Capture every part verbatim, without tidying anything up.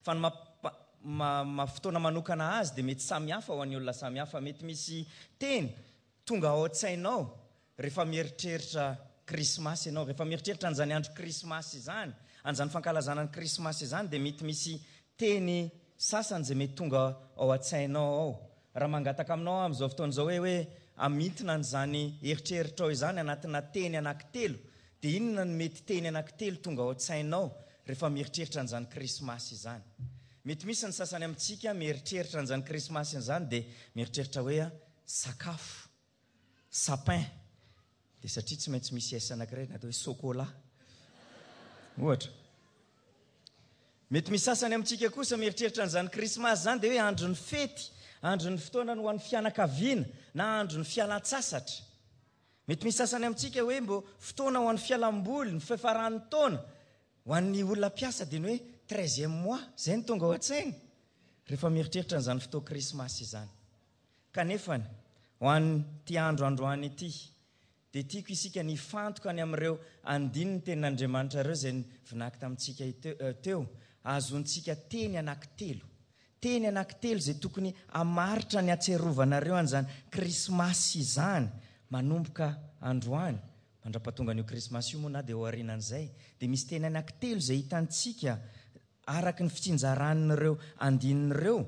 Fa ny maha fotoana manokana azy dia mety samy hafa ho an'ny olona samy hafa. Mety misy teny tonga ao an-tsainao rehefa mieritreritra Krismasy ianao. Rehefa mieritreritra an'izany andro Krismasy izany, an'izany fankalazana ny Krismasy izany, dia mety misy teny sasany izay mety tonga ao an-tsainao ao. Raha mangataka aminao aho amin'izao fotoana izao hoe hoe amintina an'izany eritreritrao izany anatina teny anankitelo, dia inona no mety teny anankitelo tonga ao an-tsainao rehefa mieritreritra an'izany Krismasy izany? Mety misy ny sasany amintsika mieritreritra an'izany Krismasy izany dia mieritreritra hoe sakafo, sapin, dia satria tsy maintsy misy S anankiray natao hoe sokola ohatra. Mety misy sasany amintsika kosa mieritreritra an'izany Krismasy izany dia hoe andron'ny fety, andron'ny fotoana ho an'ny fianakaviana na andron'ny fialan-tsasatra. Mety misy sasany amintsika hoe mbo fotoana ho an'ny fialamboly, ny fiafaran'ny taona. Ho an'ny olona mpiasa dia ny hoe treizième mois, izay no tonga ao an-tsaina rehefa mieritreritra an'izany fotoa Krismasy izany. Kanefa ho an'ity andro androany ity dia tiako isika ny hifantoka any amin'ireo andininy tenin'Andriamanitra ireo izay vinaky tamintsika teo, ahazoantsika teny anankitelo. Teny anankitelo izay tokony hamaritra ny hatsiarovanareo an'izany Krismasy izany manomboka androany. Mandra-pahatonga an'io Krismasy io moa na dia ao aorianan'izay, dia misy teny anankitelo izay hitantsika araka ny fitsinjaran'ireo andininy ireo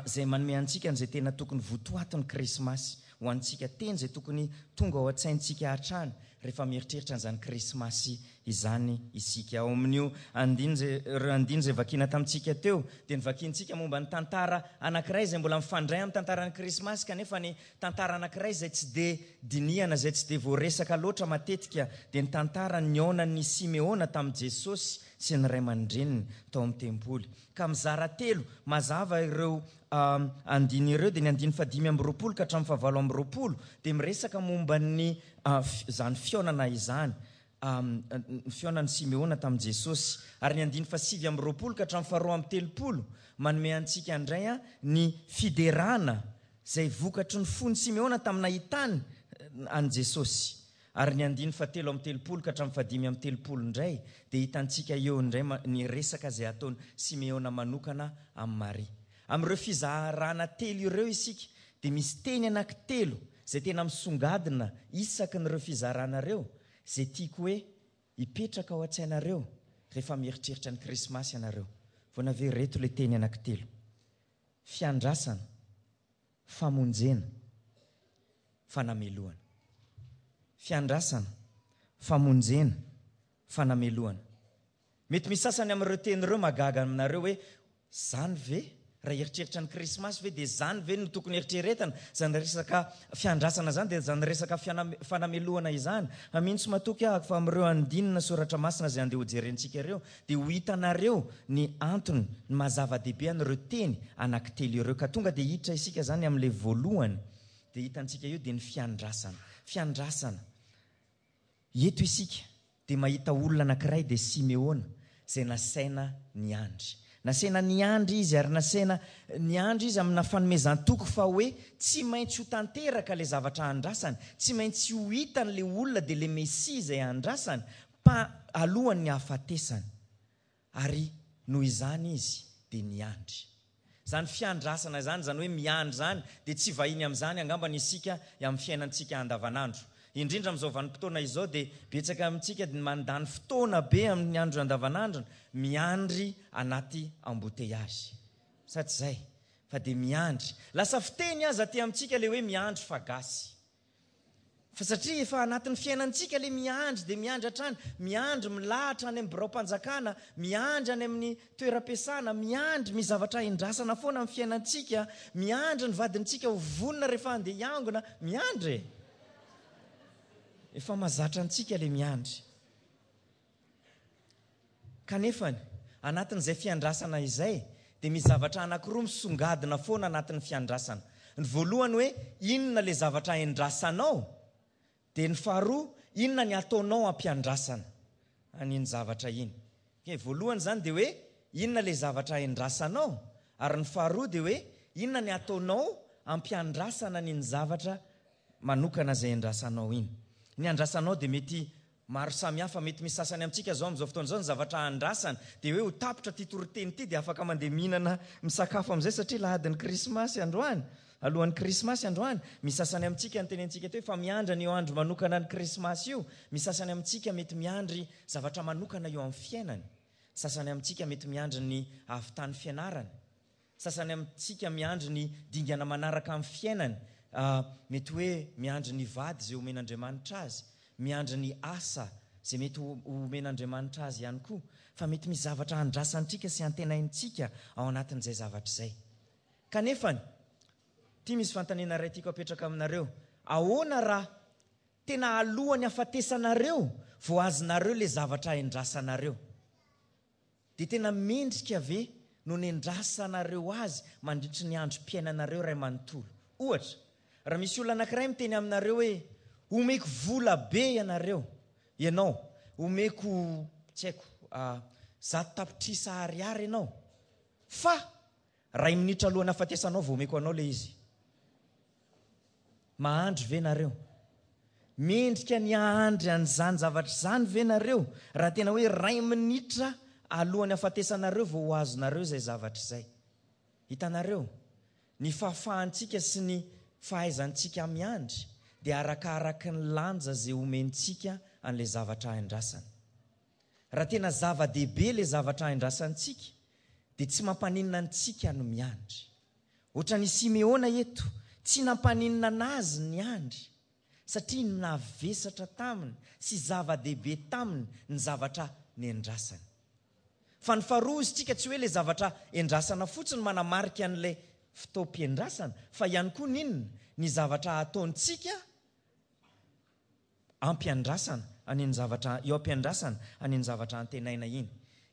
izay manome antsika an'izay tena tokony votoatin'ny Krismasy ho antsika, teny izay tokony tonga ao an-tsaintsika hatrany rehefa mieritreritra an'izany Krismasy izany isika. Ao amin'io andininy izay, ireo andininy izay vakiana tamintsika teo, dia novakiantsika momba ny tantara anankiray izay mbola mifandray amin'ny tantaran'ny Krismasy, kanefa ny tantara anankiray izay tsy dia dinihana, izay tsy dia voaresaka loatra matetika, dia ny tantara nihaonan'i Simeona tamin'i Jesosy sy ny ray aman-dreniny tao amin'ny tempoly. Ka mizara telo mazava ireo andiny ireo, dia ny andiny fahadimy amby roapolo ka hatramin'ny fahavalo amby roapolo dia miresaka momba ny izany fihaonana izany, ny fihaonan'i Simeona tamin'i Jesosy. Ary ny andiny fahasivy amby roapolo ka hatramin'ny faharoa amby telopolo manome antsika indray ny fiderana izay vokatry ny fon'i Simeona tamin'ny nahitany an'i Jesosy. Ary ny andiny fahatelo amby telopolo ka hatramin'ny fahadimy amby telopolo indray dia hitantsika eo indray ny resaka izay ataon'i Simeona manokana amin'i Maria. Amin'ireo fizarana telo ireo isika dia misy teny anankitelo izay tena misongadina isaky n'ireo fizarana ireo, izay tiako hoe hipetraka ao an-tsainareo rehefa mieritreritra ny Krismasy ianareo. Vao navy ireto ilay teny anankitelo: fiandrasana, famonjena, fanamelohana. Fiandrasana, famonjena, fanamelohana. Mety misy sasany amin'ireo teny ireo mahagaga aminareo hoe zany ve? Raha eritreritra ny Krismasy ve dia zany ve no tokony eritreretana? Zany resaka fiandrasana zany dia zany resaka fanamelohana izany. Fa mino tsy matoky aho fa amin'ireo andinina soratra masina izay andeha hojerentsika ireo dia ho hitanareo ny antony, ny maha zava-dehibe an'ireo teny anankitelo ireo. Ka tonga dia hiditra isika zany amin'ilay voalohany dia hitantsika io dia ny fiandrasana. Fiandrasana. Eto isika dia mahita olona anankiray dia Simeona izay nasaina niandry. Nasaina niandry izy ary nasaina niandry izy amina fanomezan-toky fa hoe tsy maintsy ho tanteraka ilay zavatra andrasany, tsy maintsy ho hitan'ilay olona dia ilay Mesia izay andrasany pa alohan'ny hahafatesany. Ary noho izany izy dia niandry. Izany fiandrasana izany, izany hoe miandry izany, dia tsy vahiny amin'izany angambany isika amin'ny fiainantsika andavanandro. Indrindra amin'izao vanim-potoana izao dia betsaka amintsika dia mandany fotoana be amin'ny andro andavanandrony miandry anaty embouteillage. Sa tsy izay? Fa dia miandry. Lasa fiteny aza aty amintsika ilay hoe miandry fa gasy. Fa satria efa anatin'ny fiainantsika ilay miandry dia miandry hatrany, miandry milahatra any amin'ny biraom-panjakana, miandry any amin'ny toeram-piasana, miandry misy zavatra indrasana foana amin'ny fiainantsika, miandry ny vadintsika ho vonona rehefa handeha hiangona, miandry e. Efa mahazatra antsika ilay miandry. Kanefa anatin'izay fiandrasana izay dia misy zavatra anankiroa misongadina foana anatin'ny fiandrasana. Ny voalohany hoe inona ilay zavatra indrasanao, dia ny faharoa inona ny ataonao ampiandrasana an'iny zavatra iny. Okay, voalohany izany dia hoe inona ilay zavatra indrasanao, ary ny faharoa dia hoe inona ny ataonao ampiandrasana an'iny zavatra manokana izay indrasanao iny. Ny andrasanao dia mety Maro samihafa, mety misy sasany amintsika zao amin'izao fotoana izao ny zavatra andrasana dia hoe ho tapitra ity toriteny ity dia afaka mandeha mihinana misakafo amin'izay satria lahadin'ny krismasy androany, alohan'ny krismasy androany. Misy sasany amintsika ny tenentsika teo fa miandry an'io andro manokana ny krismasy io. Misy sasany amintsika mety miandry zavatra manokana eo amin'ny fiainany. Sasany amintsika mety miandry ny ahavitany fianarany. Sasany amintsika miandry ny dingana manaraka amin'ny fiainany. Mety hoe miandry ny vady izay omen'Andriamanitra azy, miandry ny asa izay mety ho omen'Andriamanitra azy ihany koa. Fa mety misy zavatra andrasantsika sy antenaintsika ao anatin'izay zavatra izay. Kanefany, ity misy fanontaniana iray tiako apetraka aminareo. Ahoana raha tena alohan'ny hafatesanareo vao azonareo ilay zavatra endrasanareo? Dia tena mendrika ve no nendrasanareo azy mandritry ny androm-piainanareo iray manontolo? Ohatra, raha misy olona anankiray miteny aminareo hoe omeko vola be ianareo, ianao, omeko, tsy haiko, zato tapitrisa ariary ianao, fa ray minitra alohan'ny hafatesanao vao omeko anao ilay izy. Mahandry ve nareo? Mendrika ny hahandry an'izany zavatra izany ve nareo? Raha tena hoe ray minitra alohan'ny hafatesanareo vao ho azonareo izay zavatra izay. Hitanareo, ny fahafahantsika sy ny fahaizantsika miandry dia arakaraky ny lanja izay omentsika an'ilay zavatra andrasana. Raha tena zava-dehibe ilay zavatra andrasantsika dia tsy mampaninona antsika no miandry. Ohatran'i Simeona eto, tsy nampaninona anazy ny andry satria navesatra taminy sy zava-dehibe taminy ny zavatra nendrasany. Fa ny faharoa izy tsika tsy hoe ilay zavatra endrasana fotsiny manamarika an'ilay fotoam-piandrasana, fa ihany koa n'inona ny zavatra ataontsika ampiandrasana an'iny zavatra eo ampiandrasana an'iny zavatra antenaina iny.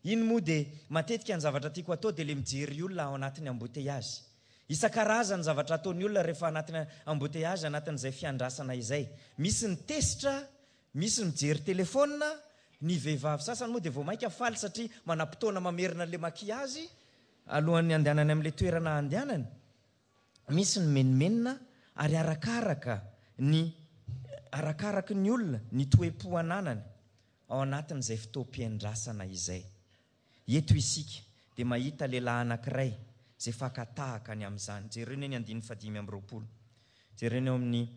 Iny moa dia matetika ny zavatra tiako atao dia ilay mijery olona ao anatin'ny embouteillage. Isan-karazany ny zavatra ataon'ny olona rehefa anatin'ny embouteillage, anatin'izay fiandrasana izay. Misy ny tesitra, misy ny mijery telefônina, ny vehivavy sasany moa dia vao mainka faly satria manam-potoana mamerina an'ilay maquillage alohan'ny andehanany amin'ilay toerana andehanany. Misy ny menomenona ary arakaraka ny arakaraky ny olona ny toe-po ananany ao anatin'izay fotoam-piandrasana izay. Eto isika dia mahita lehilahy anankiray izay fakatahaka ny amin'izany. Jereo ny andininy fahadimy amby roapolo. Jereo ny eo amin'ny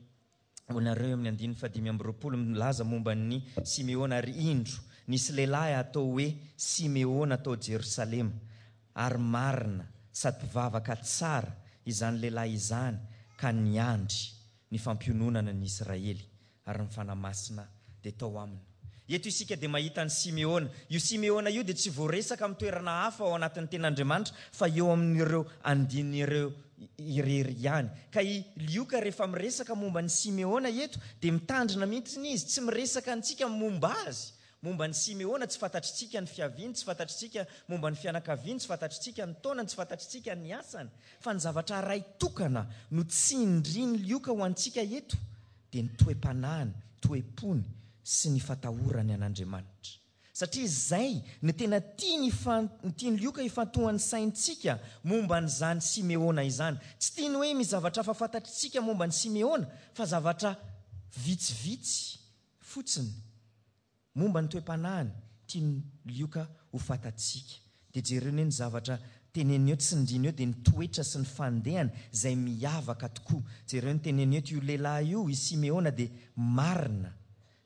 onareo amin'ny andininy fahadimy amby roapolo milaza momba ny Simeona. Ary indro nisy lehilahy atao hoe Simeona tao Jerosalema, ary marina sady mpivavaka tsara izany lehilahy izany ka niandry ny fampiononana ny Israely, ary ny Fanahy Masina dia tao aminy. Eto isika dia mahita ny Simeona. Io Simeona io dia tsy voaresaka amin'ny toerana hafa ao anatin'ny tenin'Andriamanitra fa eo amin'ireo andin'ireo irery ihany. Ka i Lioka rehefa miresaka momba ny Simeona eto dia mitandrina mihitsy izy, tsy miresaka antsika momba azy. Momba ny Simeona tsy fantatritsika ny fiaviany, tsy fantatritsika momba ny fianakaviany, tsy fantatritsika ny taonany, tsy fantatritsika ny asany. Fa ny zavatra ray tokana no tsindrin'i Lioka ho antsika eto dia ny toe-panahiny, toe-pony sy ny fatahorany an'Andriamanitra. Satria izay no tena tiany ifan-, tian'i Lioka ifantohan'ny saintsika momba an'izany Simeona izany. Tsy tiany hoe misy zavatra hafa fantatritsika momba ny Simeona, fa zavatra vitsivitsy fotsiny momba ny toe-panahiny tian'i Lioka ho fantatsika. Dia jereo ny zavatra teneniny eo, tsindriny eo, dia ny toetra sy ny fandehany izay miavaka tokoa. Jereo ny teneniny eto, io lehilahy io, i Simeona, dia marina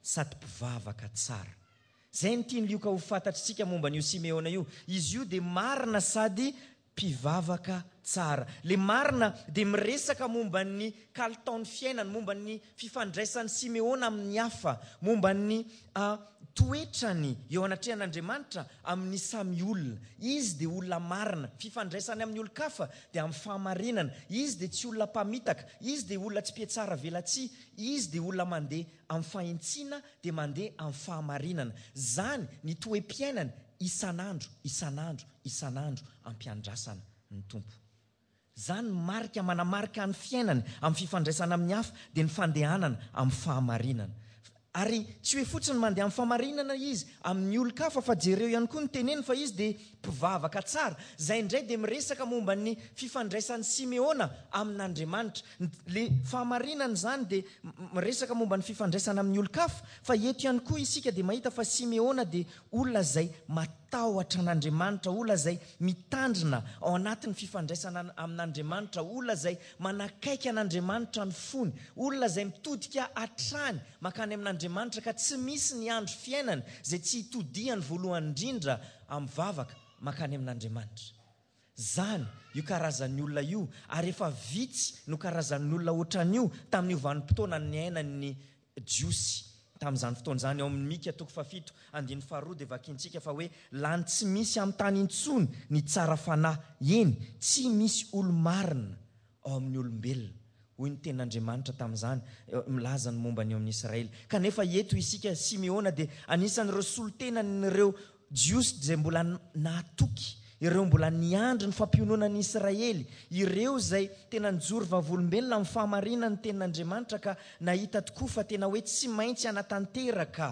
sady mpivavaka tsara. Izay no tian'i Lioka ho fantatritsika momba an'io Simeona io. Izy io dia marina sady mpivavaka tsara. Le marina dia miresaka momba ny kalitaon'ny fiainany, momba ny fifandraisan'i Simeona amin'ny hafa, momba ny, ah, toetrany eo anatrehan'Andriamanitra amin'ny samy olona. Izy dia olona marina, fifandraisany amin'ny olon-kafa dia amin'ny fahamarinana. Izy dia tsy olona mpamitaka, izy dia olona tsy mpiatsara velatsihy, izy dia olona mandeha amin'ny fahintsiana, dia mandeha amin'ny fahamarinana. Zany ny toe-piainany isan'andro, isan'andro, isan'andro ampiandrasana ny Tompo. Zany ny marika manamarika ny fiainany amin'ny fifandraisana amin'ny hafa dia ny fandehanana amin'ny fahamarinana. Ary tsy hoe fotsiny mandeha amin'ny fahamarinana izy amin'ny olon-kafa, fa jereo ihany koa ny teneny fa izy dia mpivavaka tsara. Izay indray dia miresaka momba ny fifandraisan'i Simeona amin'Andriamanitra. Le fahamarinana izany dia miresaka momba ny fifandraisana amin'ny olon-kafa, fa eto ihany koa isika dia mahita fa Simeona dia olona izay matahotra an'Andriamanitra, olona izay mitandrina ao anatin'ny fifandraisana amin'Andriamanitra, olona izay manakaiky an'Andriamanitra ny fony, olona izay mitodika hatrany mankany amin'Andriamanitra ka tsy misy ny andro fiainany izay tsy hitodihany voalohany indrindra amin'ny vavaka mankany amin'Andriamanitra. Zany io karazan'ny olona io, ary efa vitsy no karazan'ny olona ohatran'io tamin'io vanim-potoana niainan'ny Jiosy tamin'izany fotoana izany. Ao amin'ny Mika toko fahafito andininy faharoa dia vakintsika fa hoe lany tsy misy amin'ny tany intsony ny tsara fanahy, eny tsy misy olo-marina ao amin'ny olombelona, hoy ny tenin'Andriamanitra tamin'izany, milaza ny momba ny eo amin'ny Israely. Kanefa eto isika Simeona dia anisan'ireo solontenan'ireo Jiosy izay mbola nahatoky, ireo mbola niandry ny fampiononan'ny Israely, ireo izay tena nijoro vavolombelona amin'ny fahamarinan'ny tenin'Andriamanitra ka nahita tokoa fa tena hoe tsy maintsy hanatanteraka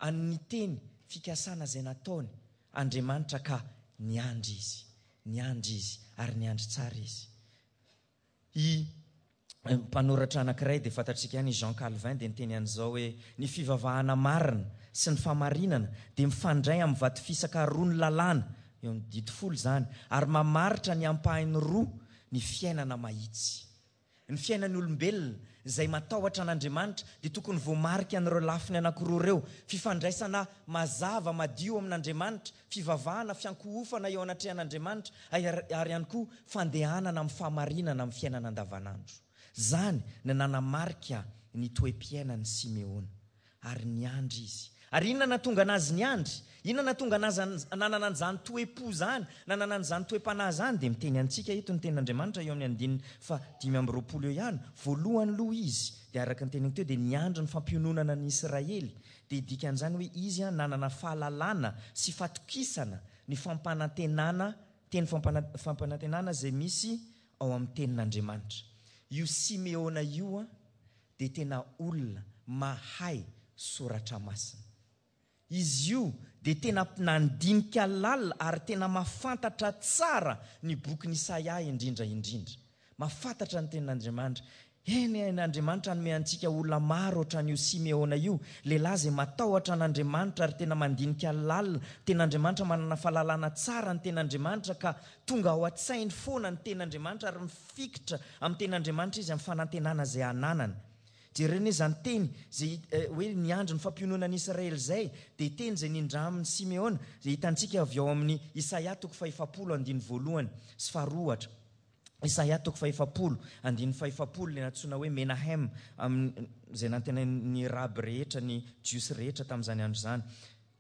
an'ny teny fikasana izay nataony Andriamanitra, ka niandry izy, niandry izy ary niandry tsara izy. I mpanoratra anankiray dia fantatsika ihany, Jean Calvin, dia niteny an'izao hoe ny fivavahana marina sy ny fahamarinana dia mifandray amin'ny vato fisaka roa ny lalàna, eo amin'ny didy folo izany, ary mamaritra ny ampahiny roa ny fiainana mahitsy. Ny fiainan'ny olombelona izay matahotra an'Andriamanitra dia tokony voamarika an'ireo lafiny anankiroa ireo: fifandraisana mazava madio amin'Andriamanitra, fivavahana, fiankohofana eo anatrehan'Andriamanitra, ary ihany koa fandehanana amin'ny fahamarinana amin'ny fiainana andavanandro. Zany no nanamarika ny toe-piainan'i Simeona, ary niandry izy. Ary inona nahatonga anazy niandry? Inona nahatonga anazy nanana an'izany toe-po zany, nanana an'izany toe-panahy zany? Dia miteny antsika eto ny tenin'Andriamanitra eo amin'ny andininy fahadimy amby roapolo eo ihany. Voalohany aloha izy dia araka ny teniny teo dia niandry ny fampiononana ny Israely. Dia dikan'izany hoe izy nanana fahalalana sy fatokisana ny fampanantenana, teny fampana-, fampanantenana izay misy ao amin'ny tenin'Andriamanitra. Io Simeona io dia tena olona mahay soratra masina. Izy io dia tena nandinika lalina ary tena mahafantatra tsara ny bokin'i Isaia indrindra indrindra. Mahafantatra ny tenin'Andriamanitra. Eny, eny, Andriamanitra hanome antsika olona maro ohatran'io Simeona io, lehilahy izay matahotra an'Andriamanitra ary tena mandinika lalina. Tenin'Andriamanitra, manana fahalalana tsara ny tenin'Andriamanitra ka tonga ao an-tsainy foana ny tenin'Andriamanitra ary mifikitra amin'ny tenin'Andriamanitra izy amin'ny fanantenana izay ananany. Jerena izany teny izay, eh, hoe niandry ny fampiononan'i Israely izay, dia teny izay nindramin'i Simeona, izay hitantsika avy ao amin'ny Isaia toko fahefapolo andininy voalohany sy faharoa ohatra. Isaia toko fahefapolo andininy fahefapolo, ilay nantsoina hoe Menahem, amin'ny, izay nantenain'ny raby rehetra, ny Jiosy rehetra tamin'izany andro izany.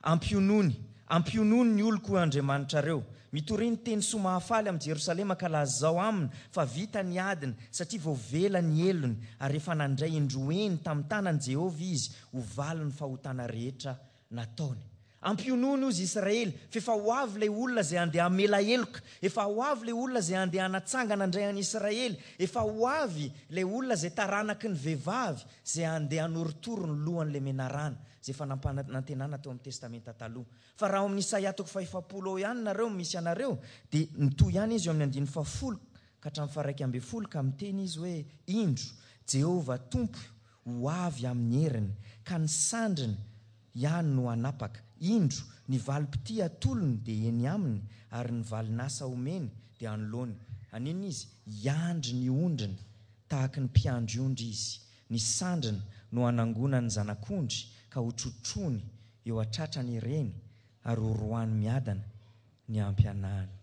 Ampionony, ampionony ny oloko Andriamanitrareo. Mitoria ny teny soa mahafaly amin'i Jerosalema ka lazao aminy fa vita ny adiny, satria voavela ny helony, ary efa nandray indroeny tamin'ny tanan'i Jehovah izy ho valin'ny fahotana rehetra nataony. Ampionony ozy Israely, fa efa ho avy ilay olona izay handeha hamela heloka, efa ho avy ilay olona izay handeha hanatsangana indray an'i Israely, efa ho avy ilay olona izay taranaky ny vehivavy izay handeha hanorotoro ny lohan'ilay menarana, izay efa nampanantenana teo amin'ny Testamenta taloha. Fa raha ao amin'ny Isaia toko fahefapolo ao ihany nareo misy anareo, dia mitohy ihany izy eo amin'ny andininy fahafolo ka hatramin'ny faharaika ambin'ny folo, ka miteny izy hoe indro Jehovah Tompo ho avy amin'ny heriny, ka ny sandriny ihany no hanapaka. Indro ny valim-pitia atolony dia eny aminy, ary ny valin'asa omeny dia anoloany. Haninona izy? Hiandry ny ondriny tahaka ny mpiandry ondry izy. Ny sandriny no hanangona ny zanak'ondry ka hotrotrony eo an-tratrany ireny, ary horoahany miadana ny ampianahany.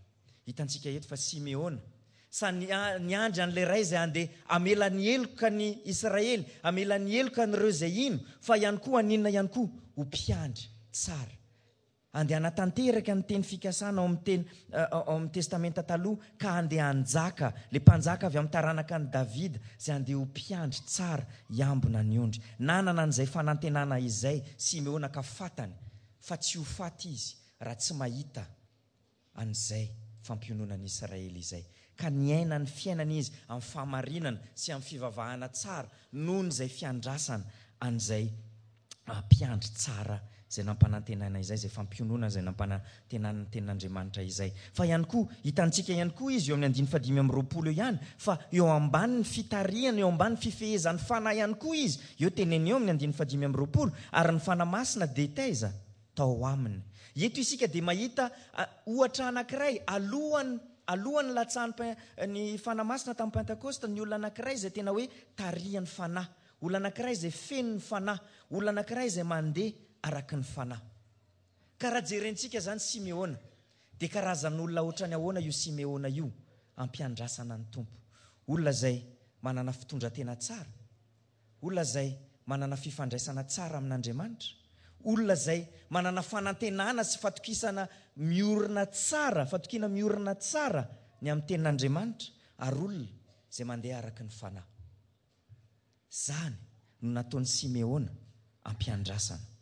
Hitantsika eto fa Simeona sa niandry an'ilay ray izay handeha hamela ny heloka ny Israely, hamela ny heloka an'ireo izay hino, fa ihany koa haninona ihany koa ho mpiandry tsara. Handeha hanatanteraka ny teny fikasana ao amin'ny teny, ao amin'ny Testamenta taloha, ka handeha hanjaka, ilay mpanjaka avy amin'ny taranaka an'i Davida, izay handeha ho mpiandry tsara hiambina ny ondry. Nanana an'izay fanantenana izay Simeona ka fantany fa tsy ho faty izy raha tsy mahita an'izay fampiononan'i Israely izay. Ka niaina ny fiainana izy amin'ny fahamarinana sy amin'ny fivavahana tsara noho izay fiandrasana an'izay mpiandry tsara izay nampanantenaina izay, izay fampiononana izay nampanantenana ny tenin'Andriamanitra izay. Fa ihany koa, hitantsika ihany koa izy eo amin'ny andininy fahadimy amby roapolo eo ihany, fa eo ambanin'ny fitarihana, eo ambanin'ny fifehezan'ny Fanahy ihany koa izy. Eo teneny eo amin'ny andininy fahadimy amby roapolo, ary ny Fanahy Masina dia taiza? Tao aminy. Eto isika dia mahita ohatra anankiray, alohan'ny, alohan'ny latsahan'ny ny Fanahy Masina tamin'ny Pentekosta, ny olona anankiray izay tena hoe tarihan'ny Fanahy, olona anankiray izay feno ny Fanahy, olona anankiray izay mandeha araka ny Fanahy. Ka raha jerentsika izany Simeona, dia karazan'olona ohatrany ahoana io Simeona io ampiandrasana ny Tompo? Olona izay manana fitondran-tena tsara, olona izay manana fifandraisana tsara amin'Andriamanitra, olona izay manana fanantenana sy fatokisana miorina tsara, fatokiana miorina tsara ny amin'ny tenin'Andriamanitra, ary olona izay mandeha araka ny Fanahy. Izany no nataon'i Simeona ampiandrasana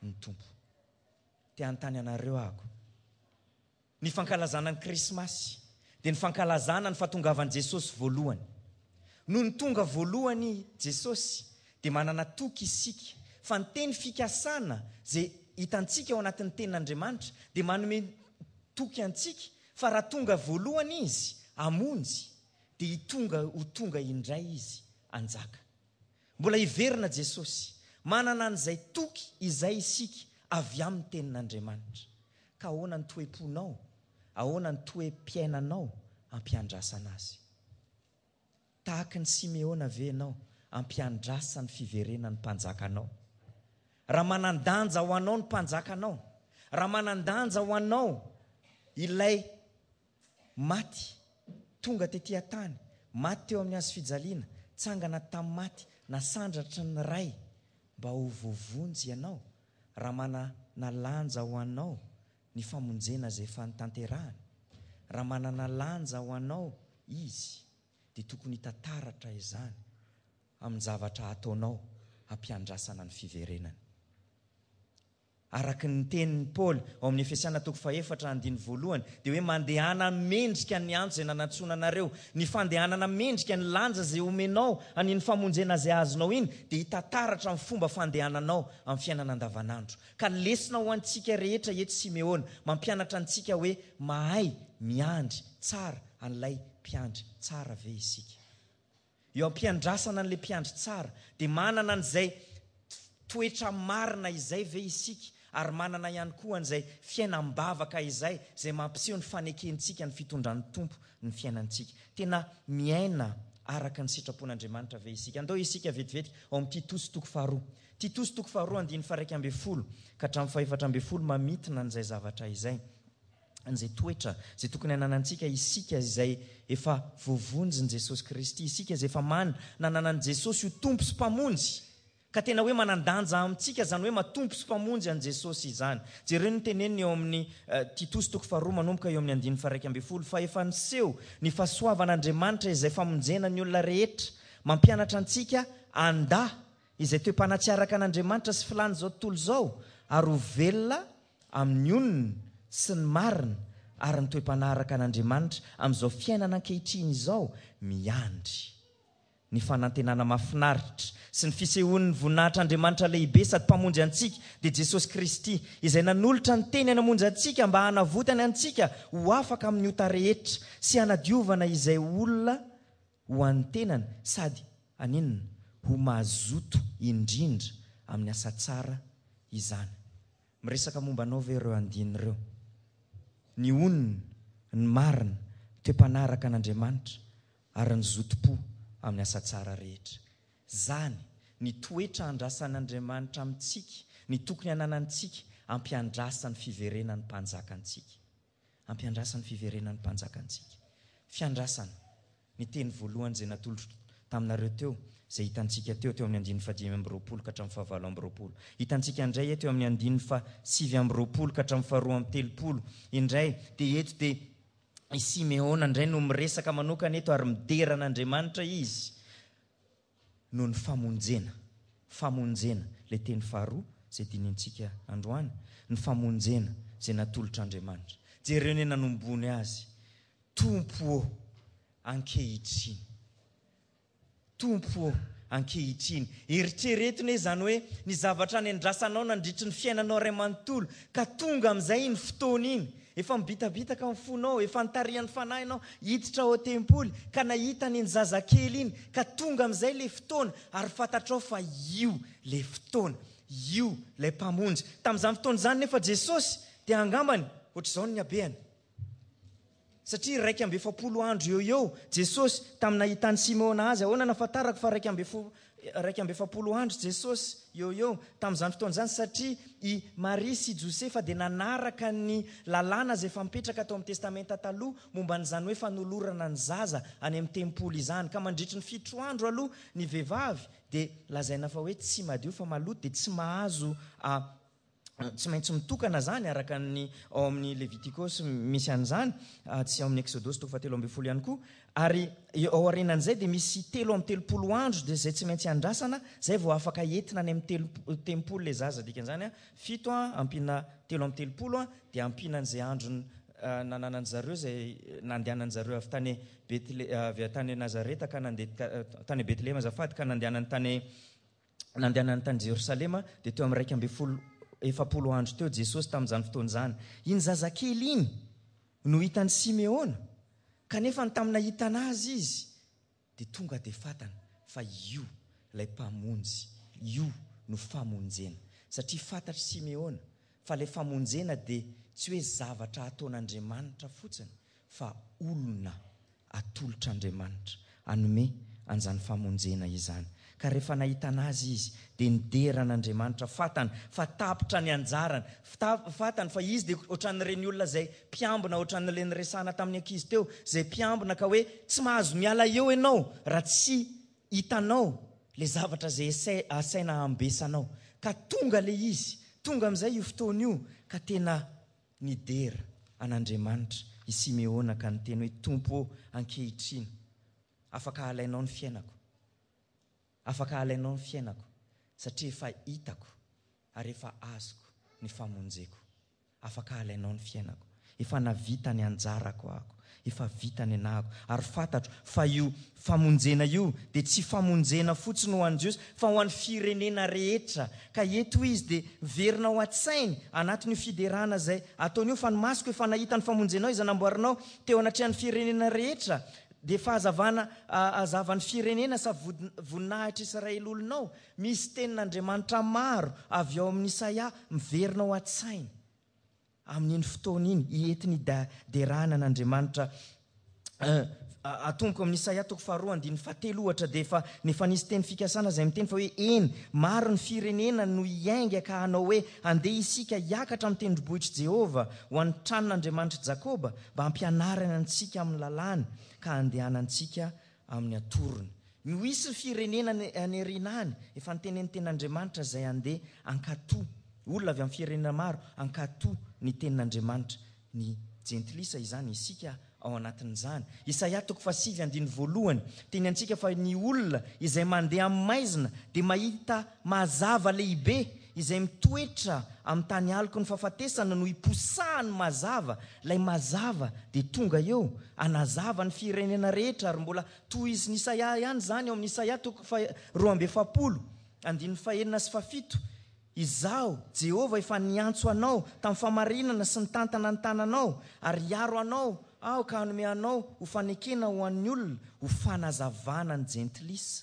ny Tompo. Te hanontany anareo aho. Ny fankalazana ny Krismasy dia ny fankalazana ny fahatongavan'i Jesosy voalohany. Nony tonga voalohany Jesosy dia manana toky isika fa ny teny fikasana izay hitantsika ao anatin'ny tenin'Andriamanitra dia manome toky antsika fa raha tonga voalohany izy hamonjy dia hitonga ho tonga indray izy hanjaka. Mbola hiverina Jesosy. Manana an'izay toky izay isika avy amin'ny tenin'Andriamanitra. Ka ahoana ny toe-ponao? Ahoana ny toe-piainanao ampiandrasana azy? Tahaka ny Simeona ve ianao ampiandrasa ny fiverenan'ny mpanjakanao? Raha manan-danja ho anao ny mpanjakanao, raha manan-danja ho anao ilay maty tonga tety an-tany, maty teo amin'ny hazo fijaliana, tsangana tamin'ny maty, nasandratra ny Ray mba ho voavonjy ianao, raha manana lanja ho anao ny famonjena izay efa notanterahany, raha manana lanja ho anao izy, dia tokony hitantaratra izany amin'ny zavatra ataonao hampiandrasana ny fiverenany. Araka ny tenin'i Paoly ao amin'ny Efesiana toko fahefatra andininy voalohany, dia hoe mandehana mendrika ny antso izay nanantsoana anareo. Ny fandehanana mendrika ny lanja izay omenao an'iny famonjena izay azonao iny dia hitantaratra amin'ny fomba fandehananao amin'ny fiainana andavanandro. Ka lesona ho antsika rehetra eto Simeona, mampianatra antsika hoe mahay miandry tsara an'ilay mpiandry tsara ve isika. Eo am-piandrasana an'ilay mpiandry tsara dia manana an'izay toetra marina izay ve isika, ary manana ihany koa an'izay fiainam-bavaka izay, izay mampiseho ny fanekentsika ny fitondran'ny Tompo ny fiainantsika. Tena miaina araka ny sitrapon'Andriamanitra ve isika? Andao isika vetivety ao amin'ny Titosy toko faharoa. Titosy toko faharoa andininy faha-iraika ambin'ny folo ka hatramin'ny fahefatra ambin'ny folo mamintina an'izay zavatra izay, an'izay toetra izay tokony hananantsika isika izay efa voavonjin'i Jesosy Kristy, isika izay efa man-, nananan'i Jesosy ho Tompo sy Mpamonjy. Ka tena hoe manan-danja amintsika izany hoe matompo sy mpamonjy an'i Jesosy izany. Jereo ny teneniny eo amin'ny Titosy toko faharoa manomboka eo amin'ny andininy faha-iraika ambin'ny folo, fa efa niseho ny fahasoavan'Andriamanitra izay famonjena ny olona rehetra, mampianatra antsika handà izay toe-panahy tsy araka an'Andriamanitra sy filàn'izao tontolo izao, ary ho velona amin'ny onony sy ny marina ary ny toe-panahy araka an'Andriamanitra amin'izao fiainana ankehitriny izao, miandry ny fanantenana mahafinaritra sy ny fisehoan'ny voninahitr'Andriamanitra lehibe sady mpamonjy antsika, dia Jesosy Kristy, izay nanolotra ny tenany hamonjy antsika mba hanavotany antsika ho afaka amin'ny ota rehetra sy hanadiovana izay olona ho an'ny tenany sady haninona ho mazoto indrindra amin'ny asa tsara izany. Miresaka momba anao ve ireo andininy ireo? Ny onony, ny marina, toe-panahy araka an'Andriamanitra ary ny zotom-po amin'ny asa tsara rehetra. Zany ny toetra andrasan'Andriamanitra amintsika, ny tokony hananantsika, ampiandrasan'ny fiverenan'ny mpanjaka antsika. Ampiandrasan'ny fiverenan'ny mpanjaka antsika. Fiandrasana, ny teny voalohany izay natolotro taminareo teo, izay hitantsika teo, teo amin'ny andininy fahadimy amby roapolo ka hatramin'ny fahavalo amby roapolo. Hitantsika indray eto eo amin'ny andininy fahasivy amby roapolo ka hatramin'ny faharoa amby telopolo indray, dia eto dia i Simeona indray no miresaka manokana eto ary midera an'Andriamanitra izy noho ny famonjena. Famonjena, ilay teny faharoa izay dinintsika androany, ny famonjena izay natolotr'Andriamanitra. Jereo ny nanombony azy. Tompo ô, ankehitriny. Tompo ô, ankehitriny. Eritrereto anie izany hoe ny zavatra nendrasanao nandritry ny fiainanao iray manontolo, ka tonga amin'izay iny fotoana iny, efa mibitabitaka ny fonao, efa nitarihan'ny fanahinao hiditra ao an-tempoly, ka nahita an'iny zazakely iny, ka tonga amin'izay ilay fotoana, ary fantatrao fa io ilay fotoana, io ilay Mpamonjy. Tamin'izany fotoana izany nefa Jesosy dia angambany ohatr'izao ny habehany. Satria iraika amby efapolo andro eo eo Jesosy tamin'ny nahitan'i Simeona azy. Ahoana nahafantarako fa iraika amby efo-, iraika amby efapolo andro Jesosy eo eo tamin'izany fotoana izany? Satria i Maria sy Josefa dia nanaraka ny lalàna izay efa mipetraka tao amin'ny Testamenta Taloha momba an'izany hoe fanolorana ny zaza any amin'ny tempoly izany. Ka mandritry ny fito andro aloha ny vehivavy dia lazaina fa hoe tsy madio fa maloto, dia tsy mahazo, a, tsy maintsy mitokana zany araka ny ao amin'ny Levitikosy misy an'izany, ah, tsy ao amin'ny Eksodosy toko fahatelo ambin'ny folo ihany koa. Ary ao aorianan'izay dia misy telo amby telopolo andro dia izay tsy maintsy andrasana, izay vao afaka entina any amin'ny telo-, tempoly ilay zaza. Dikan'izany, ah, fito, ah, ampiana telo amby telopolo, ah, dia ampiana an'izay andro, ah, nananan'ny zareo, izay nandehanan'ny zareo avy tany Betle-, avy tany Nazareta ka nandeha ka, tany Betlehema azafady, ka nandehanany tany, nandehanany tany Jerosalema, dia teo amin'ny iraika ambin'ny folo efapolo andro teo Jesosy tamin'izany fotoana izany. Iny zazakely iny no hitan'i Simeona, kanefa ny tamin'ny nahitana azy izy dia tonga dia fantany fa io ilay mpamonjy, io no famonjena. Satria fantatr'i Simeona fa ilay famonjena dia tsy hoe zavatra ataon'Andriamanitra fotsiny, fa olona atolotr'Andriamanitra hanome an'izany famonjena izany. Ka rehefa nahitana azy izy dia nidera an'Andriamanitra, fantany fa tapitra ny anjarany, fta-, fantany fa izy dia ohatran'ireny olona izay mpiambina, ohatran'ilay niresahana tamin'ny ankizy teo, izay mpiambina ka hoe tsy mahazo miala eo ianao raha tsy hitanao ilay zavatra izay asa-, asaina ambesanao. Ka tonga ilay izy, tonga amin'izay io fotoana io, ka tena nidera an'Andriamanitra i Simeona ka niteny hoe, Tompo ô, ankehitriny afaka alainao ny fiainako, afaka alainao ny fiainako, satria efa hitako ary efa azoko ny famonjeko. Afaka alainao ny fiainako, efa navita ny anjarako aho, efa vita ny anahako, ary fantatro fa io famonjena io dia tsy famonjena fotsiny ho an'ny Jiosy fa ho an'ny firenena rehetra. Ka eto izy dia miverina ao an-tsainy anatin'io fiderana izay ataony io, fa ny masoko efa nahita ny famonjenao izay namboarinao teo anatrehan'ny firenena rehetra, dia fahazavana, a, hazavan'ny firenena sa vod-, voninahitra Israely olonao. Misy tenin'Andriamanitra maro avy ao amin'ny Isaia miverina ao an-tsainy amin'iny fotoana iny, entiny da-, derana an'Andriamanitra. Eh, a-, atomboko amin'ny Isaia toko faharoa andininy fahatelo ohatra, dia efa, efa nisy teny fikasana izay miteny fa hoe eny, maro ny firenena no hiainga ka hanao hoe andeha isika hiakatra amin'ny tendrombohitr'i Jehovah ho an'ny tranon'Andriamanitra Jakoba mba hampianarana antsika amin'ny lalàny ka handehanantsika amin'ny atorony. No hisy ny firenena any, any aoriana any, efa nitenen'ny tenin'Andriamanitra izay handeha hankatò, olona avy amin'ny firenena maro hankatò ny tenin'Andriamanitra. Ny jentilisa izany isika ao anatin'izany. Isaia toko fahasivy andininy voalohany, teny antsika fa ny olona izay mandeha amin'ny maizina dia mahita mazava lehibe, izay mitoetra amin'ny tany aloky ny fahafatesana no hiposahany mazava. Ilay mazava dia tonga eo hanazava ny firenena rehetra. Ary mbola tohizin'i Isaia ihany izany ao amin'ny Isaia toko faha roa amby efapolo andininy fahenina sy fahafito. Izaho, Jehovah, efa niantso anao tamin'ny famarinana sy nitantana ny tananao, ary hiaro anao aho ka hanome anao ho fanekena ho an'ny olona, ho fanazavana ny jentilisa,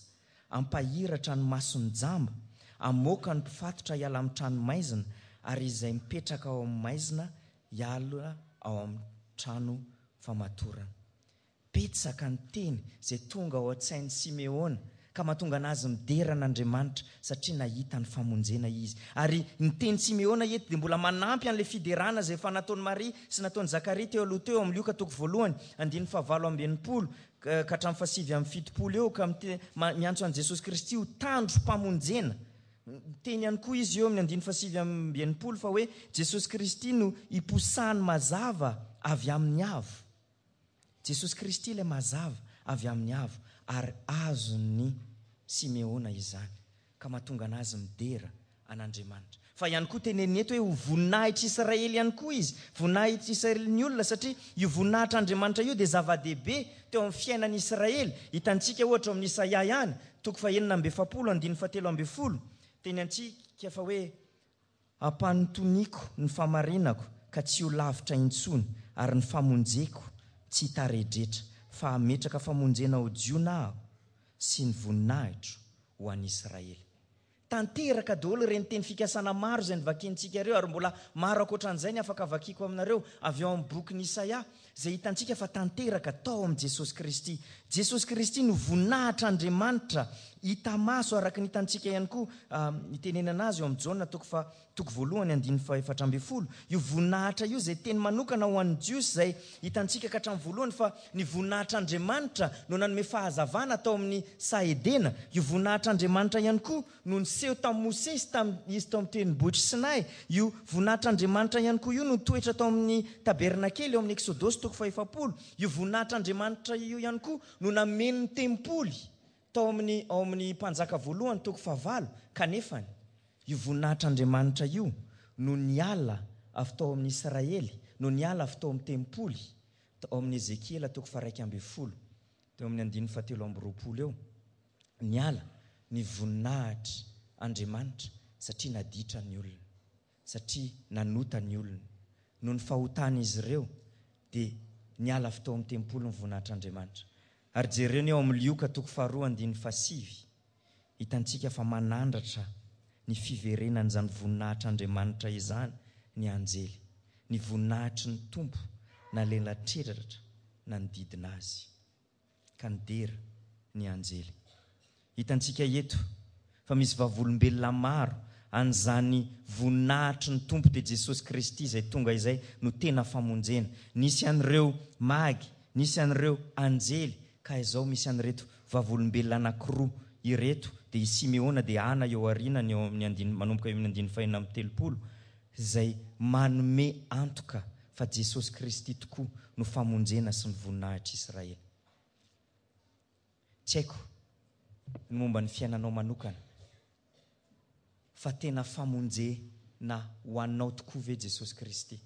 hampahiratra ny mason'ny jamba, hamoaka ny mpifatotra hiala amin'ny trano maizina, ary izay mipetraka ao amin'ny maizina hiala ao amin'ny trano famatorana. Betsaka ny teny izay tonga ao an-tsain'i Simeona ka mahatonga anazy midera an'Andriamanitra satria nahita ny famonjena izy. Ary ny teny Simeona eto dia mbola manampy an'ilay fiderana izay efa nataon'i Maria sy nataon'i Zakaria teo aloha teo amin'ny Lioka toko voalohany andininy fahavalo amby enimpolo ka hatramin'ny fahasivy amby fitopolo eo, ka mite-, ma-, miantso an'i Jesosy Kristy ho tandrom-pamonjena. Miteny ihany koa izy eo amin'ny andininy fahasivy amby enimpolo fa hoe Jesosy Kristy no hiposahany mazava avy amin'ny avo. Jesosy Kristy ilay mazava avy amin'ny avo, ary azon'ny Simeona izany ka mahatonga anazy midera an'Andriamanitra. Fa ihany koa teneniny eto hoe ho voninahitr'i Israely ihany koa izy, voninahitr'i Israely ny olona, satria io voninahitr'Andriamanitra io dia zava-dehibe teo amin'ny fiainan'i Israely. Hitantsika ohatra ao amin'ny Isaia ihany, toko fahenina amby efapolo, andininy fahatelo ambin'ny folo, teny antsika fa hoe ampanotoniko ny famarinako ka tsy ho lavitra intsony, ary ny famonjeko tsy hitaredretra, fa hametraka famonjena ao Jiona aho sy ny voninahitro ho an'i Israely. Tanteraka daholo ireny teny fikasana maro izay novakiantsika ireo, ary mbola maro ankoatran'izay ny afaka vakiko aminareo avy ao amin'ny bokin'i Isaia, izay hitantsika fa tanteraka tao amin'i Jesosy Kristy. Jesosy Kristy no voninahitr'Andriamanitra hita maso, araka ny hitantsika ihany koa, ah, itenenana azy eo amin'ny Jaona toko fa toko voalohany andininy fahaefatra ambin'ny folo. Io voninahitra io izay teny manokana ho an'ny Jiosy, izay hitantsika ka hatramin'ny voalohany fa ny voninahitr'Andriamanitra no nanome fahazavana tao amin'ny saha Edena. Io voninahitr'Andriamanitra ihany koa no niseho tamin'i Mosesy tamin'ny izy tao amin'ny tendrombohitra Sinay. Io voninahitr'Andriamanitra ihany koa io no nitoetra tao amin'ny tabernakely eo amin'ny Eksodosy toko fahefapolo. Io voninahitr'Andriamanitra io ihany koa no nameno ny tempoly tao amin'ny, ao amin'ny mpanjaka voalohany toko fahavalo. Kanefany io voninahitr'Andriamanitra io no niala avy tao amin'ny Israely, no niala avy tao amin'ny tempoly tao amin'ny Ezekiela toko faharaika ambin'ny folo, teo amin'ny andininy fahatelo amby roapolo eo. Niala ny voninahitr'Andriamanitra satria naditra ny olona, satria nanota ny olona. Noho ny fahotan'izy ireo dia niala avy tao amin'ny tempoly ny voninahitr'Andriamanitra. Ary jereo ny eo amin'ny Lioka toko faharoa andininy fahasivy, hitantsika fa manandratra ny fiverenan'izany voninahitr'Andriamanitra izany ny anjely. Ny voninahitry ny Tompo nalelatreratra nanodidina azy, ka nidera ny anjely. Hitantsika eto fa misy vavolombelona maro an'izany voninahitry ny Tompo, dia Jesosy Kristy izay tonga izay no tena famonjena. Nisy an'ireo magy, nisy an'ireo anjely, ka izao misy an'ireto vavolombelona anankiroa ireto, dia i Simeona dia Ana eo aoriana ny eo amin'ny andininy, manomboka eo amin'ny andininy fahenina amby telopolo, izay manome antoka fa Jesosy Kristy tokoa no famonjena sy ny voninahitr'Israely. Tsy haiko ny momba ny fiainanao manokana, fa tena famonjena ho anao tokoa ve Jesosy Kristy?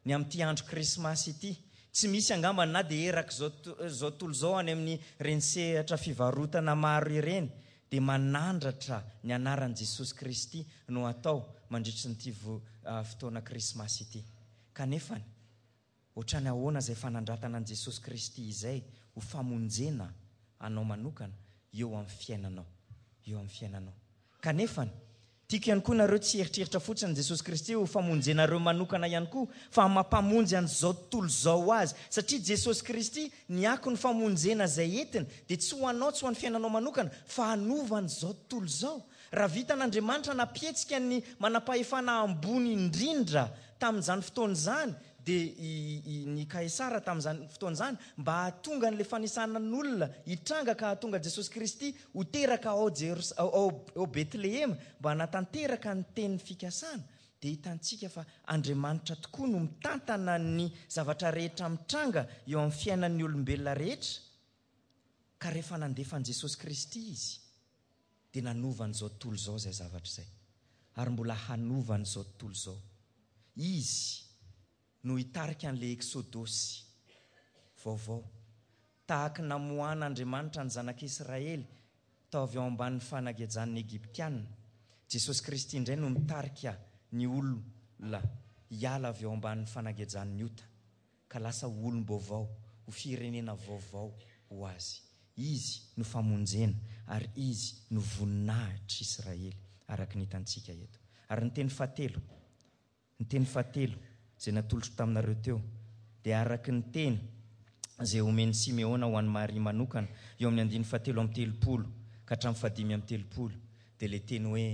Ny amin'ity andro Krismasy ity, tsy misy angamba na dia erak'izao to-, izao tontolo izao any amin'ny reny sehatra fivarotana maro ireny, dia manandratra ny anaran'i Jesosy Kristy no atao mandritry nyity vo-, ah, fotoana Krismasy ity. Kanefany, ohatrany ahoana izay fanandratana an'i Jesosy Kristy izay ho famonjena anao manokana eo amin'ny fiainanao, eo amin'ny fiainanao. Kanefany, tiako ihany koa nareo tsy hieritreritra fotsiny Jesosy Kristy ho famonjenareo manokana ihany koa, fa mampamonjy an'izao tontolo izao ho azy. Satria Jesosy Kristy ny ako ny famonjena izay entiny dia tsy ho anao, tsy ho an'ny fiainanao manokana, fa hanova an'izao tontolo izao. Raha vitan'Andriamanitra nampihetsika ny manam-pahefana ambony indrindra tamin'izany fotoana izany, dia i, i, ny Kaisara tamin'izany fotoana izany, mba hahatonga an'ilay fanisana n'olona hitranga ka hahatonga Jesosy Kristy ho teraka ao Jeros-, ao, ao, ao Betlehema, mba hanatanteraka ny teny fikasana, dia hitantsika fa Andriamanitra tokoa no mitantana ny zavatra rehetra mitranga eo amin'ny fiainan'ny olombelona rehetra. Ka rehefa nandefa an'i Jesosy Kristy izy, dia nanova an'izao tontolo izao izay zavatra izay, ary mbola hanova an'izao tontolo izao. Izy no hitarika an'ilay Eksodosy vaovao. Tahaka ny namoahan'Andriamanitra ny zanak'Israely tao avy ao ambanin'ny fanagejan'ny Egyptiana, Jesosy Kristy indray no mitarika ny olona hiala avy ao ambanin'ny fanagejan'ny ota, ka lasa olom-baovao, ho firenena vaovao ho azy. Izy no famonjena ary izy no voninahitr'Israely, araka ny hitantsika eto. Ary ny teny fahatelo, ny teny fahatelo izay natolotro taminareo teo, dia araka ny teny izay omen'i Simeona ho an'i Maria manokana, eo amin'ny andininy fahatelo amby telopolo ka hatramin'ny fahadimy amby telopolo, dia ilay teny hoe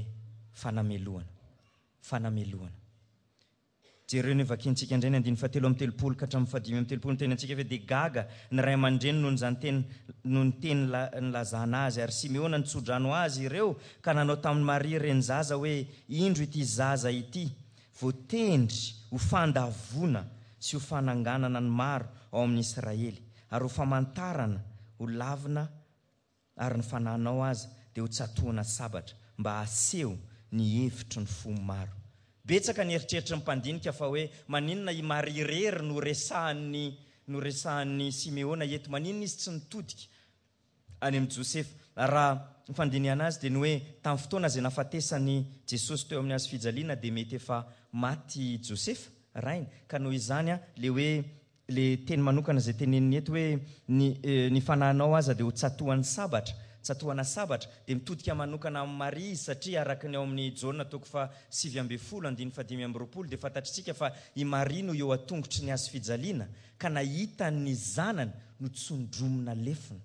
fanamelohana. Fanamelohana. Jereo ny vakintsika indray ny andininy fahatelo amby telopolo ka hatramin'ny fahadimy amby telopolo, ny teny antsika hoe dia gaga ny ray aman-dreny noho izany teny, noho ny teny la-, nilazana azy, ary Simeona nitsodrano azy ireo ka nanao tamin'i Maria reny zaza hoe, indro ity zaza ity, voatendry ho fandavoana sy ho fananganana ny maro ao amin'ny Israely, ary ho famantarana ho lavina, ary ny fananao aza dia ho tsatohana sabatra mba haseho ny hevitry ny fo maro. Betsaka ny eritreritry ny mpandinika fa hoe maninona i Maria irery no resahan'ny no resahan'ny Simeona eto, maninona izy tsy nitodika any amin'i Josefa. Raha ny fandinihana azy dia ny hoe tamin'ny fotoana izay nahafatesan'i Jesosy teo amin'ny hazo fijaliana dia mety efa maty Josefa rainy, ka noho izany le hoe le teny manokana izay teneniny eto hoe ny, ny fanahinao aza dia ho tsatohan'ny sabatra, tsatohana sabatra, dia mitodika manokana amin'i Maria izy, satria araka ny ao amin'ny Jaona toko faha sivy ambin'ny folo andininy faha dimy amby roapolo dia fantatritsika fa i Maria no eo an-tongotry ny hazo fijaliana ka nahita ny zanany notsondromina lefona,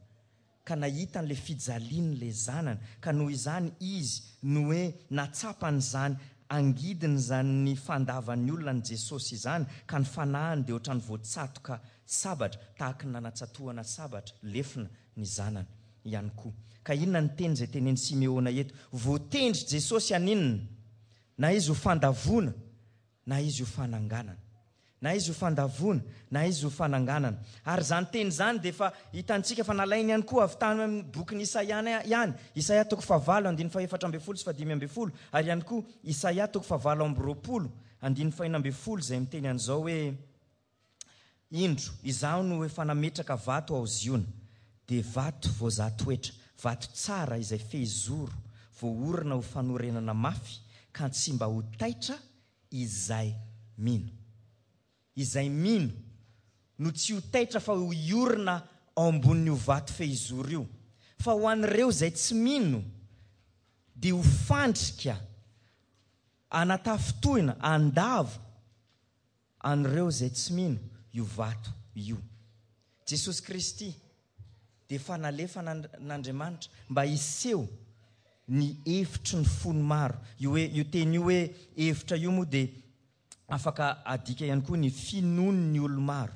ka nahita an'ilay fijalian'ilay zanany, ka noho izany izy no hoe natsapany izany angidiny izany ny fandavan'ny olona an'i Jesosy izany, ka ny fanahiny dia ohatran'ny voatsatoka sabatra, tahaka ny nanatsatohana sabatra lefona ny zanany ihany koa. Ka inona ny teny izay tenen'i Simeona eto? Voatendry Jesosy haninona? Na izy ho fandavoana, na izy ho fananganana. Na izy ho fandavoana, na izy ho fananganana. Ary izany teny izany dia efa hitantsika fa nalainy ihany koa avy tany amin'ny bokin'i Isaia ihany. Isaia toko fahavalo, andininy fahefatra ambin'ny folo sy fahadimy ambin'ny folo. Ary ihany koa Isaia toko fahavalo amby roapolo, andininy fahena ambin'ny folo, izay miteny an'izao hoe: Indro, izaho no efa nametraka vato ao Ziona, dia vato voazaha toetra, vato tsara izay fehizoro, voaorina ho fanorenana mafy, ka tsy mba ho taitra izay mino. Izay mino no tsy ho taitra fa ho hiorina ao ambonin'io vato fehizoro io. Fa ho an'ireo izay tsy mino dia ho fandrika anatafintohina, andavo an'ireo izay tsy mino io vato io. Jesosy Kristy dia efa nalefa n'Andriamanitra mba hiseho ny hevitry ny fony maro. Io hoe, io teny io hoe hevitra io moa dia afaka adika ihany koa ny finoan'ny olo maro,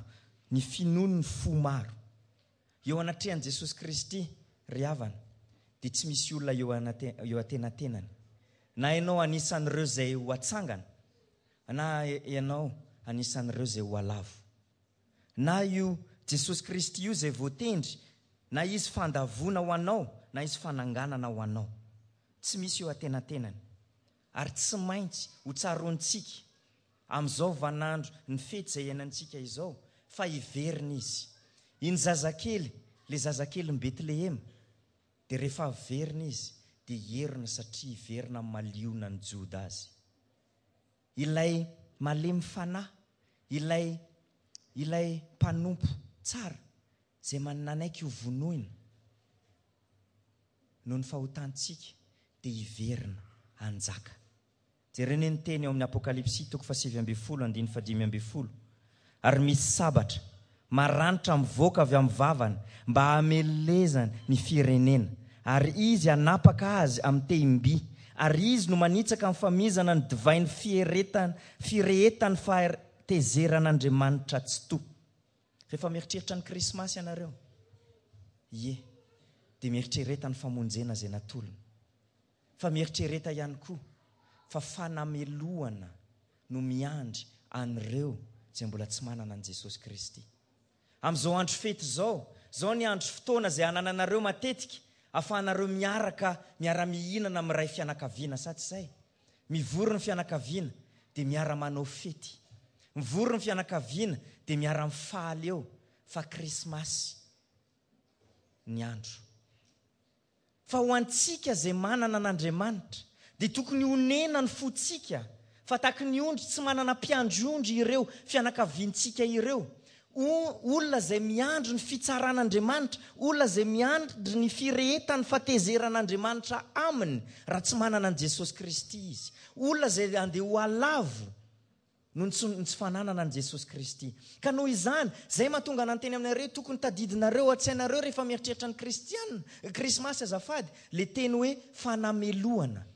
ny finoan'ny fo maro. Eo anatrehan'i Jesosy Kristy, ry havana, dia tsy misy olona eo anate-, eo antenatenany. Na ianao anisan'ireo izay ho atsangana, na ianao anisan'ireo izay ho alavo. Na io Jesosy Kristy io izay voatendry, na izy fandavoana ho anao, na izy fananganana ho anao. Tsy misy eo antenatenany. Ary tsy maintsy ho tsaroantsika amin'izao vaninandro ny fety izay iainantsika izao, fa hiverina izy. Iny zazakely, le zazakelin'i Betlehema, dia rehefa averina izy, dia hierona satria hiverina amin'ny maliona ny Joda azy. Ilay malemy fanahy, ilay, ilay mpanompo tsara, izay nanaiky ho vonoina noho ny fahotantsika, dia hiverina hanjaka. Jerena ny teny ao amin'ny Apokalypsy toko fahasivy ambin'ny folo andininy fahadimy ambin'ny folo. Ary misy sabatra maranitra mivoaka avy amin'ny vavany mba hamelezany ny firenena, ary izy hanapaka azy amin'ny tehim-by, ary izy no manitsaka amin'ny famizana ny divain'ny fieretana, firehetan'ny fahatezeran'Andriamanitra Tsitoha. Rehefa mieritreritra ny Krismasy ianareo, ie, dia mieritrereta ny famonjena izay natolony. Fa mieritrereta ihany koa fa fanamelohana no miandry an'ireo izay mbola tsy manana an'i Jesosy Kristy. Amin'izao andro fety izao, izao ny andro fotoana izay anananareo matetika ahafahanareo miaraka, miara-mihinana amin'ny ray fianakaviana, sa tsy izay? Mivory ny fianakaviana dia miara-manao fety. Mivory ny fianakaviana dia miara-mifaly eo fa Krismasy ny andro. Fa ho antsika izay manana an'Andriamanitra dia tokony honena ny fontsika, fa tahaky ny ondry tsy manana mpiandry ondry ireo fianakaviantsika ireo. O-, olona izay miandry ny fitsaran'Andriamanitra, olona izay miandry ny firehetan'ny fahatezeran'Andriamanitra aminy raha tsy manana an'i Jesosy Kristy izy. Olona izay andeha ho alavo noho ny tsy, ny tsy fananana an'i Jesosy Kristy. Ka noho izany, izay mahatonga ananteny aminareo, tokony tadidinareo an-tsainareo rehefa mieritreritra ny Kristiana, Krismasy azafady, le teny hoe fanamelohana.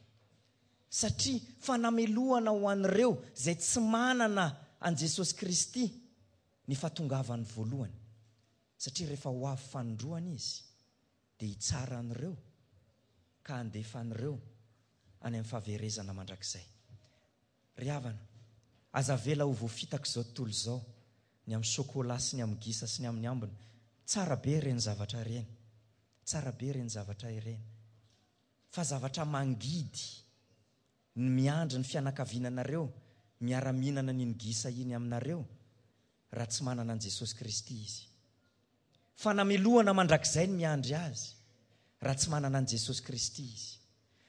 Satria fanamelohana ho an'ireo izay tsy manana an'i Jesosy Kristy ny fahatongavany voalohany. Satria rehefa ho avy fanindroany izy, dia hitsara an'ireo ka handefa an'ireo any amin'ny fahaverezana mandrakizay. Ry havana, aza avela ho voafitak'izao tontolo izao, ny amin'ny chocolat sy ny amin'ny gisa sy ny amin'ny ambiny. Tsara be ireny zavatra ireny. Tsara be ireny zavatra ireny. Fa zavatra mangidy ny miandry ny fianakaviananareo miara-mihinana an'iny gisa iny aminareo raha tsy manana an'i Jesosy Kristy izy. Fanamelohana mandrakizay ny miandry azy raha tsy manana an'i Jesosy Kristy izy.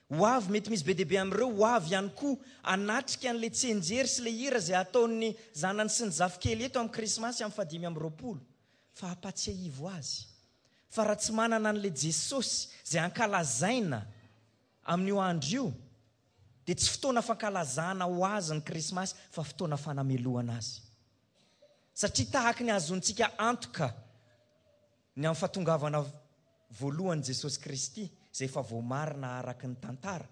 Ho avy, mety misy be dia be amin'ireo ho avy ihany koa hanatrika an'ilay tsianjery sy ilay hira izay ataon'ny zanany sy ny zafikely eto amin'ny Krismasy amin'ny fahadimy amby roapolo. Fa ampatsiahivo azy fa raha tsy manana an'ilay Jesosy izay ankalazaina amin'io andro io, dia tsy fotoana fankalazana ho azy ny Krismasy fa fotoana fanamelohana azy. Satria tahaky ny ahazoantsika antoka ny amin'ny fahatongavana voalohan'i Jesosy Kristy, izay efa voamarina araka ny tantara,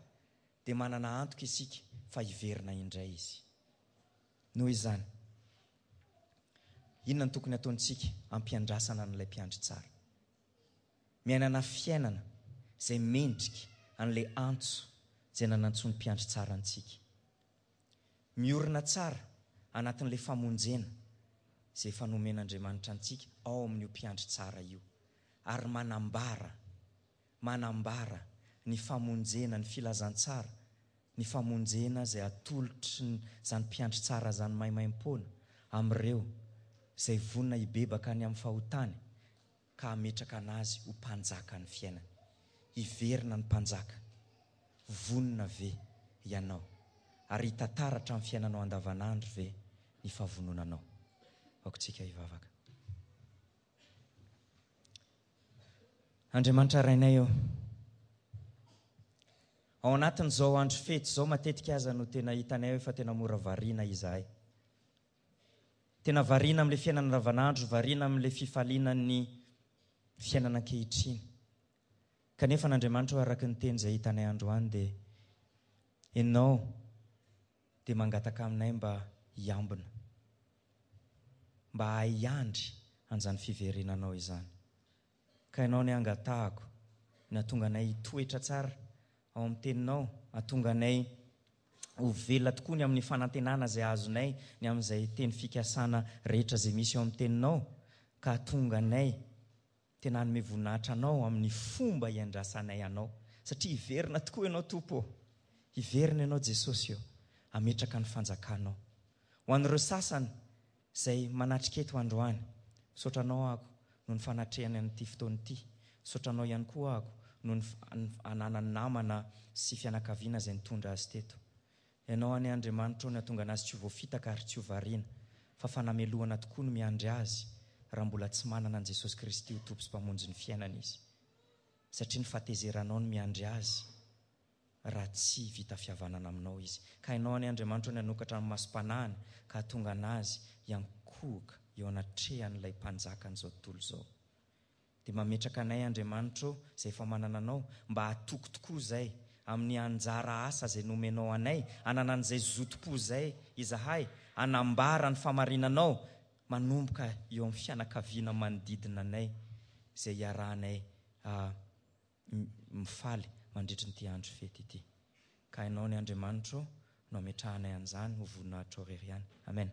dia manana antoka isika fa hiverina indray Izy. Noho izany, inona no tokony hataontsika hampiandrasana an'ilay Mpiandry tsara? Miainana fiainana izay mendrika an'ilay antso izay nanantsoan'ny Mpiandry tsara antsika. Miorina tsara anatin'ilay famonjena izay efa nomen'Andriamanitra antsika ao amin'io Mpiandry tsara io, ary manambara, manambara ny famonjena, ny filazantsara, ny famonjena izay atolotry izany Mpiandry tsara izany maimaimpoana amin'ireo izay vonona hibebaka ny amin'ny fahotany ka hametraka an'azy ho mpanjaka ny fiainany. Hiverina ny mpanjaka. Vonona ve ianao? Ary hitantara hatramin'ny fiainanao andavanandro ve ny fahavononanao? Aoka hivavaka. Andriamanitra Rainay ô, ao anatin'izao andro fety izao matetika aza no tena hitanay hoe fa tena mora variana izahay. Tena variana amin'ilay fiainana andavanandro, variana amin'ilay fifaliana ny fiainana ankehitriny. Kanefa an'Andriamanitra araka ny teny izay hitanay androany dia ianao dia mangataka aminay mba hiambina, mba hahay-hiandry an'izany fiverenanao izany. Ka ianao ny angatahako, ny hahatonga anay hitoetra tsara ao amin'ny teninao, hahatonga anay ho velona tokoa ny amin'ny fanantenana izay azonay, ny amin'izay teny fikasana rehetra izay misy ao amin'ny teninao, ka hahatonga anay tena hanome voninahitra anao amin'ny fomba hiandrasanay anao. Satria hiverina tokoa ianao Tompo ô. Hiverina ianao Jesosy ô, hametraka ny fanjakanao. Ho an'ireo sasany izay manatrika eto androany, misaotra anao aho noho ny fanatrehany an'ity fotoana ity. Misaotra anao ihany koa aho noho ny ananany namana sy fianakaviana izay nitondra azy teto. Ianao anie Andriamanitra ô, ny hahatonga anazy tsy ho voafitaka ary tsy ho variana, fa fanamelohana tokoa no miandry azy raha mbola tsy manana an'i Jesosy Kristy ho Tompo sy Mpamonjy ny fiainana izy. Satria ny fahatezeranao no miandry azy raha tsy vita fihavanana aminao izy. Ka ianao anie Andriamanitra ô, ny hanokatra ny masom-panahiny ka hahatonga anazy hiankohoka eo anatrehan'ilay mpanjakan'izao tontolo izao. Dia mametraka anay Andriamanitra ô, izay efa manana anao, mba hatoky tokoa izay amin'ny anjara asa izay nomenao anay, hananan'izay zotom-po izay izahay, hanambara ny famarinanao manomboka eo amin'ny fianakaviana manodidina anay izay iarahanay mifaly mandritry ity andro fety ity. Ka ianao ny Andriamanitra ô, no ametrahanay an'izany ho voninahitrao irery ihany. Amen.